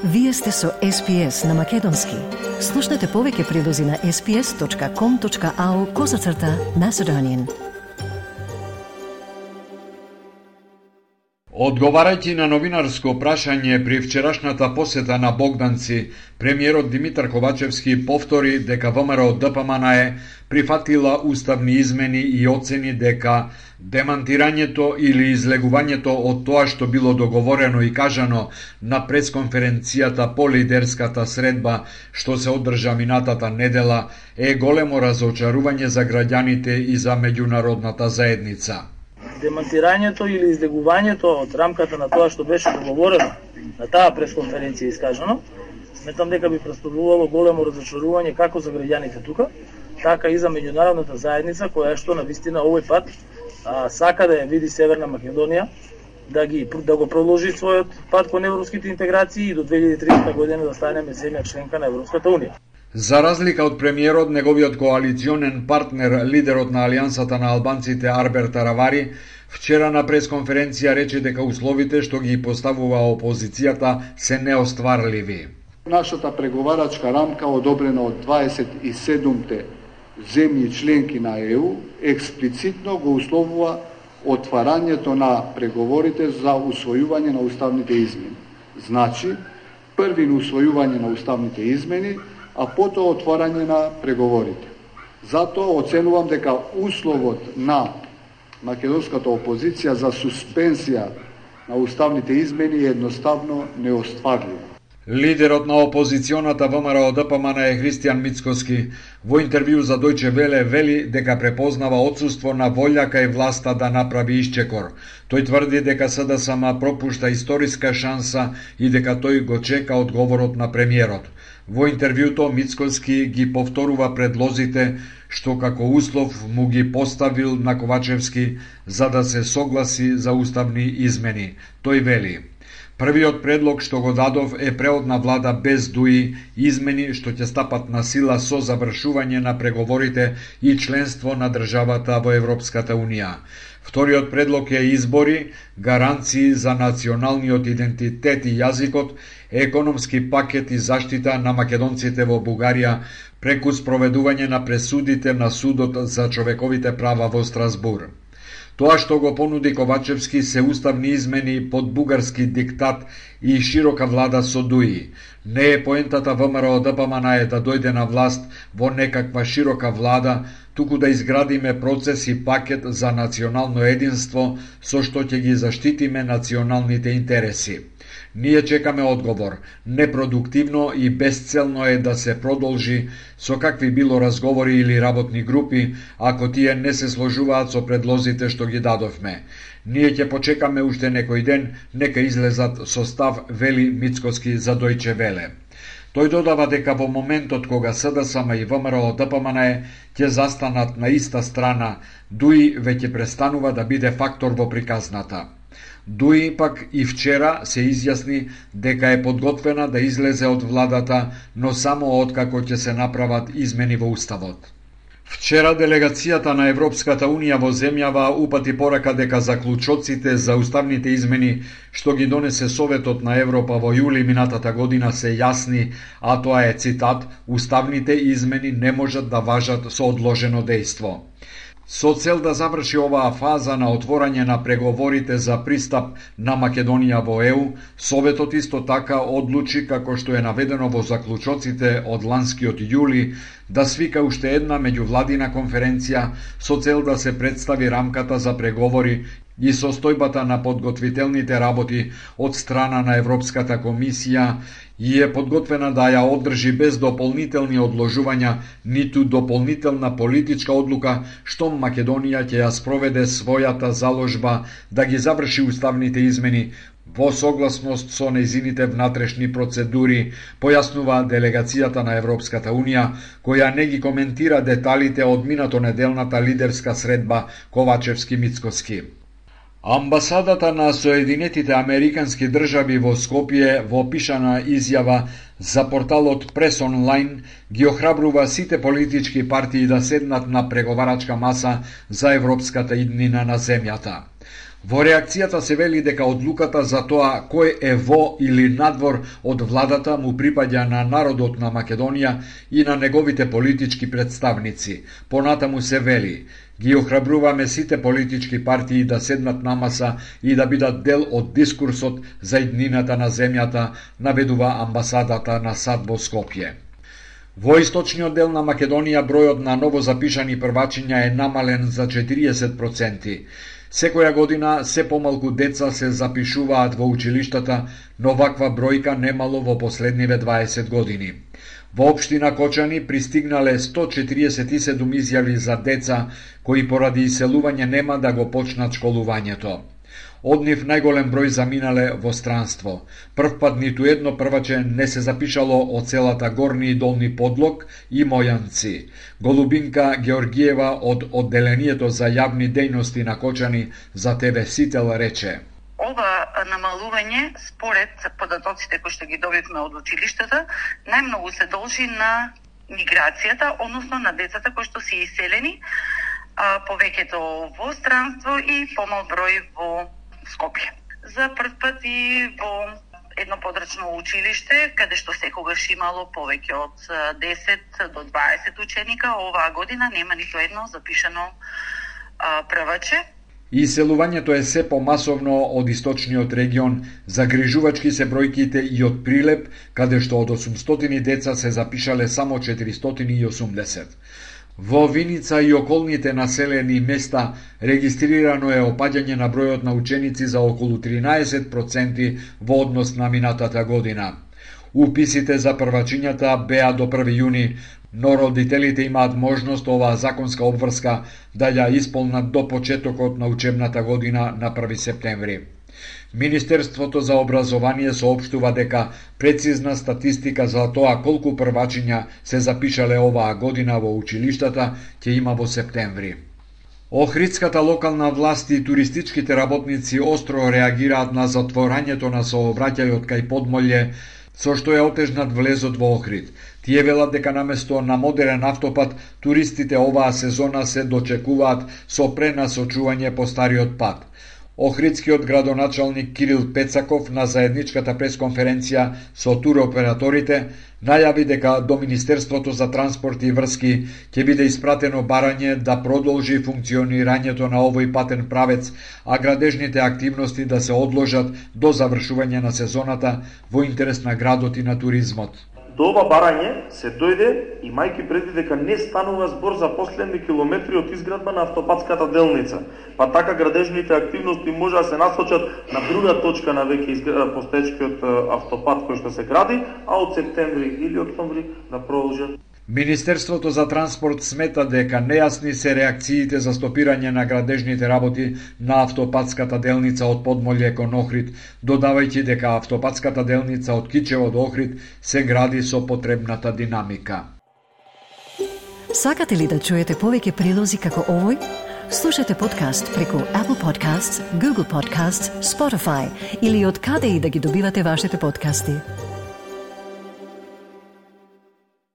Вие сте со SPS на Македонски. Слушнете повеќе прилози на sps.com.au/Macedonian. Одговарајќи на новинарско прашање при вчерашната посета на Богданци, премиерот Димитар Ковачевски повтори дека ВМРО ДПМН прифатила уставни измени и оцени дека демантирањето или излегувањето од тоа што било договорено и кажано на пресконференцијата по лидерската средба што се одржа минатата недела е големо разочарување за граѓаните и за меѓународната заедница. Демантирањето или излегувањето од рамката на тоа што беше договорено на таа пресконференција искажано, сметам дека би представувало големо разочарување како за граѓаните тука, така и за меѓународната заедница која што навистина овој пат сака да ја види Северна Македонија да го продолжи својот пат кон европските интеграции и до 2030 година да станеме земја членка на Европската унија. За разлика од премиерот, неговиот коалиционен партнер, лидерот на Алијансата на албанците Арбер Таравари, вчера на пресконференција рече дека условите што ги поставува опозицијата се неостварливи. Нашата преговарачка рамка, одобрена од 27-те земји членки на ЕУ, експлицитно го условува отварањето на преговорите за усвојување на уставните измени. Значи, први на усвојување на уставните измени, а потоа отворање на преговорите. Затоа оценувам дека условот на македонската опозиција за суспензија на уставните измени е едноставно неостварлив. Лидерот на опозиционата ВМРО ДПМН Христијан Мицкоски во интервју за Дојче Веле вели дека препознава отсуство на волја кај власта да направи исчекор. Тој тврди дека СДСМ пропушта историска шанса и дека тој го чека одговорот на премиерот. Во интервјуто Мицкоски ги повторува предлозите што како услов му ги поставил на Ковачевски за да се согласи за уставни измени. Тој вели: првиот предлог што го дадов е преодна влада без ДУИ, измени што ќе стапат на сила со завршување на преговорите и членство на државата во Европската Унија. Вториот предлог е избори, гаранции за националниот идентитет и јазикот, економски пакет и заштита на македонците во Бугарија преку спроведување на пресудите на Судот за човековите права во Страсбур. Тоа што го понуди Ковачевски се уставни измени под бугарски диктат и широка влада со ДУИ. Не е поентата ВМРО ДПМН да дојде на власт во некаква широка влада, туку да изградиме процес и пакет за национално единство со што ќе ги заштитиме националните интереси. Ние чекаме одговор. Непродуктивно и безцелно е да се продолжи со какви било разговори или работни групи, ако тие не се сложуваат со предлозите што ги дадовме. Ние ќе почекаме уште некој ден, нека излезат со став, вели Мицкоски за Дојче Веле. Тој додава дека во моментот кога СДСМ и ВМРО ДПМН ќе застанат на иста страна, ДУИ веќе престанува да биде фактор во приказната. ДУИ пак и вчера се изјасни дека е подготвена да излезе од владата, но само откако ќе се направат измени во уставот. Вчера делегацијата на Европската Унија во земјава упати порака дека заклучоците за уставните измени што ги донесе Советот на Европа во јули минатата година се јасни, а тоа е цитат: уставните измени не можат да важат со одложено дејство. Со цел да заврши оваа фаза на отворање на преговорите за пристап на Македонија во ЕУ, Советот исто така одлучи, како што е наведено во заклучоците од ланскиот јули, да свика уште една меѓувладина конференција со цел да се представи рамката за преговори и состојбата на подготвителните работи од страна на Европската комисија и е подготвена да ја одржи без дополнителни одложувања ниту дополнителна политичка одлука што Македонија ќе ја спроведе својата заложба да ги заврши уставните измени во согласност со нејзините внатрешни процедури, појаснува делегацијата на Европската Унија, која не ги коментира деталите од минатонеделната лидерска средба Ковачевски-Мицкоски. Амбасадата на Соединетите Американски држави во Скопје во пишана изјава за порталот Прес онлайн ги охрабрува сите политички партии да седнат на преговарачка маса за европската иднина на земјата. Во реакцијата се вели дека одлуката за тоа кој е во или надвор од владата му припаѓа на народот на Македонија и на неговите политички представници. Понатаму се вели: ги охрабруваме сите политички партии да седнат на маса и да бидат дел од дискурсот за иднината на земјата, наведува амбасадата на САД во Скопје. Во источниот дел на Македонија бројот на новозапишани првачиња е намален за 40%. Секоја година се помалку деца се запишуваат во училиштата, но ваква бројка немало во последниве 20 години. Во општина Кочани пристигнале 147 изјави за деца кои поради иселување нема да го почнат школувањето. Од нив најголем број заминале во странство. Првпат ниту едно прваче не се запишало од селата Горни и Долни Подлог и Мојанци. Голубинка Георгиева од одделението за јавни дејности на Кочани за ТВ Сител рече: ова намалување, според податоците кои што ги добивме од училиштата, најмногу се должи на миграцијата, односно на децата кои што се иселени, повеќето во странство и помал број во Скопје. За прв пат и во едно подрачно училиште, каде што секогаш имало повеќе од 10 до 20 ученика, оваа година нема ниту едно запишано прваче. Иселувањето е се помасовно од источниот регион, загрижувачки се бројките и од Прилеп, каде што од 800 деца се запишале само 480. Во Виница и околните населени места регистрирано е опаѓање на бројот на ученици за околу 13% во однос на минатата година. Уписите за првачињата беа до 1 јуни, но родителите имаат можност оваа законска обврска да ја исполнат до почетокот на учебната година на 1 септември. Министерството за образование соопштува дека прецизна статистика за тоа колку првачиња се запишале оваа година во училиштата ќе има во септември. Охридската локална власт и туристичките работници остро реагираат на затворањето на сообраќајот кај Подмолје, со што е отежнат влезот во Охрид. Тие велат дека наместо на модерен автопат, туристите оваа сезона се дочекуваат со пренасочување по стариот пат. Охридскиот градоначалник Кирил Пецаков на заедничката пресконференција со туроператорите најави дека до Министерството за транспорт и врски ќе биде испратено барање да продолжи функционирањето на овој патен правец, а градежните активности да се одложат до завршување на сезоната во интерес на градот и на туризмот. До ова барање се дојде имајќи предвид дека не станува збор за последни километри од изградба на автопатската делница, па така градежните активности може да се насочат на друга точка на веќе постоечкиот автопат кој што се гради, а од септември или октомври да продолжат. Министерството за транспорт смета дека нејасни се реакциите за стопирање на градежните работи на автопатската делница од Подмолје кон Охрид, додавајќи дека автопатската делница од Кичево до Охрид се гради со потребната динамика. Сакате ли да чуете повеќе прилози како овој? Слушате подкаст преку Apple Podcasts, Google Podcasts, Spotify или од каде и да ги добивате вашите подкасти.